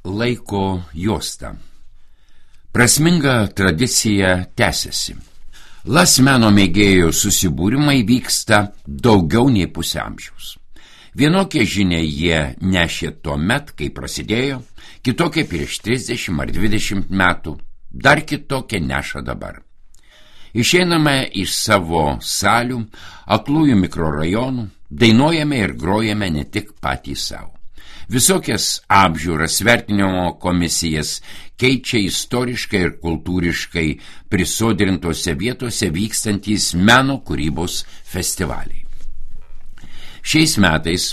laiko juosta. Prasminga tradicija tęsiasi. Las meno mėgėjų susibūrimai vyksta daugiau nei pusę amžiaus. Vienokie žinia jie nešė tuo met, kai prasidėjo, kitokie prieš 30 ar 20 metų, dar kitokie neša dabar. Išeiname iš savo salių, aklųjų mikrorajonų, dainuojame ir grojame ne tik patys savo. Visokias apžiūras, vertinimo komisijas keičia istoriškai ir kultūriškai prisodrintose vietose vykstantys meno kūrybos festivaliai. Šiais metais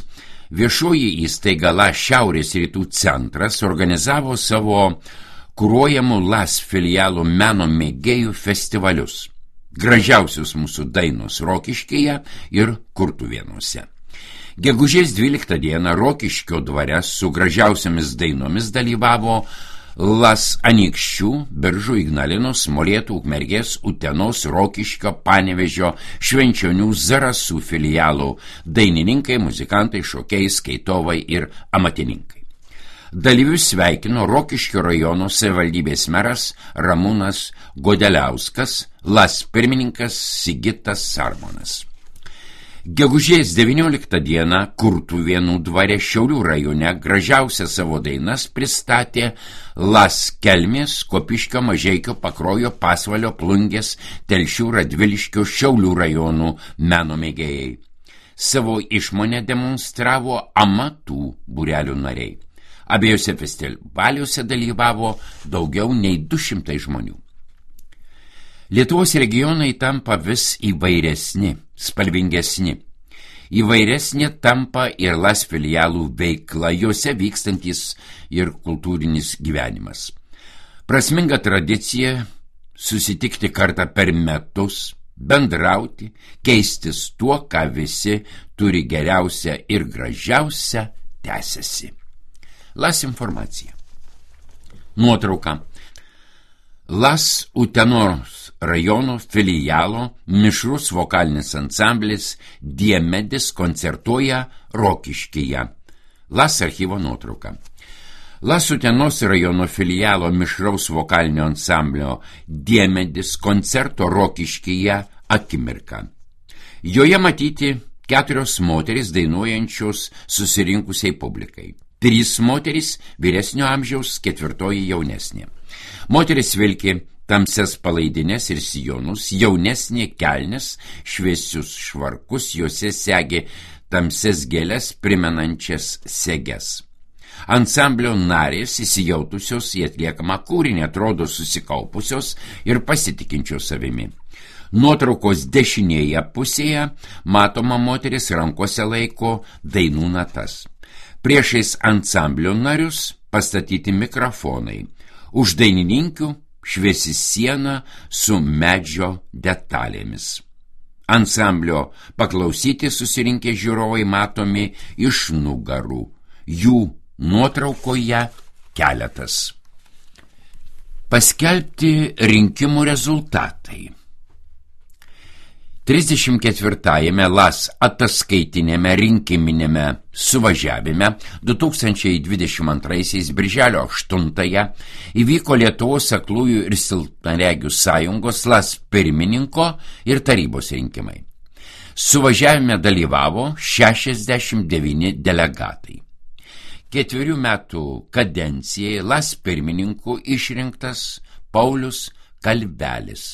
viešoji įstaiga LAS Šiaurės rytų centras organizavo savo kuruojamų LAS filialų meno mėgėjų festivalius. Gražiausios mūsų dainos Rokiškyje ir Kurtuvėnuose. Gegužės 12 dieną Rokiškio dvare su gražiausiamis dainomis dalyvavo LAS Anykščių, Biržų, Ignalinos, Molėtų, Ukmergės, Utenos, Rokiškio, Panevėžio, Švenčionių, Zarasų filialų dainininkai, muzikantai, šokėjai, skaitovai ir amatininkai. Dalyvius sveikino Rokiškio rajono savivaldybės meras Ramūnas Godeliauskas, LAS pirmininkas Sigitas Sarmonas. Gegužės 19 dieną Kurtuvėnų dvare Šiaulių rajone gražiausią savo dainas pristatė LAS Kelmės, Kopiškio, Mažeikio, Pakruojo, Pasvalio, Plungės, Telšių, Radviliškio, Šiaulių rajonų meno mėgėjai. Savo išmonę demonstravo amatų būrelių nariai. Abiejose festivaliuose dalyvavo daugiau nei 200 žmonių. Lietuvos regionai tampa vis įvairesni, spalvingesni. Įvairesnė tampa ir LAS filialų veikla, juose vykstantis ir kultūrinis gyvenimas. Prasminga tradicija susitikti kartą per metus, bendrauti, keistis tuo, ką visi turi geriausia ir gražiausia, tęsiasi. LAS informacija. Nuotrauka. LAS Utenos rajono filialo mišrus vokalinis ansamblis Diemedis koncertuoja Rokiškyje. LAS archyvo nuotrauka. LAS Utenos rajono filialo mišraus vokalinio ansamblio Diemedis koncerto Rokiškyje akimirka. Joje matyti 4 moterys dainuojančios susirinkusiai publikai. 3 moterys vyresnio amžiaus, 4 jaunesnė. Moteris vilki tamsias palaidines ir sijonus, jaunesnė kelnes, šviesius švarkus, juose segi tamsias gėles primenančias seges. Ansamblio narės įsijautusios į atliekamą kūrinį atrodo susikaupusios ir pasitikinčios savimi. Nuotraukos dešinėje pusėje matoma moteris rankose laiko dainų natas. Priešais ansamblio narius pastatyti mikrofonai. Už dainininkių šviesi siena su medžio detalėmis. Ansamblio paklausyti susirinkę žiūrovai matomi iš nugarų. Jų nuotraukoje keletas. Paskelbti rinkimų rezultatai. 34-ame LAS ataskaitinėme rinkiminėme suvažiavime 2022 birželio 8 įvyko Lietuvos aklųjų ir silpnaregių sąjungos LAS pirmininko ir tarybos rinkimai. Suvažiavime dalyvavo 69 delegatai. 4 metų kadencijai LAS pirmininku išrinktas Paulius Kalvelis.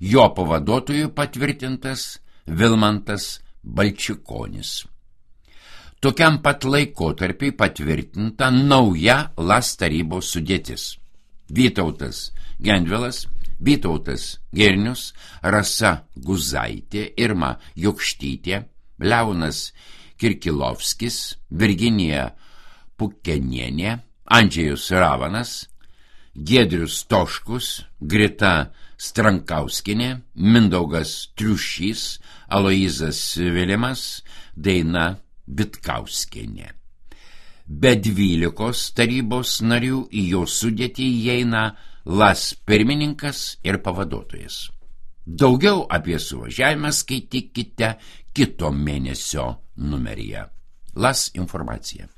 Jo pavaduotojų patvirtintas Vilmantas Balčikonis. Tokiam pat laikotarpiai patvirtinta nauja LAS tarybos sudėtis. Vytautas Gendvilas, Vytautas Girnius, Rasa Guzaitė, Irma Jokštytė, Leonas Kirkilovskis, Virginija Pukenienė, Andžejus Ravanas, Giedrius Toškus, Grita Strankauskinė, Mindaugas Triušys, Aloizas Vilimas, Daina Vitkauskienė. Be 12 tarybos narių į jo sudėtį įeina LAS pirmininkas ir pavaduotojas. Daugiau apie suvažiavimą skaitykite kito mėnesio numeryje. LAS informacija.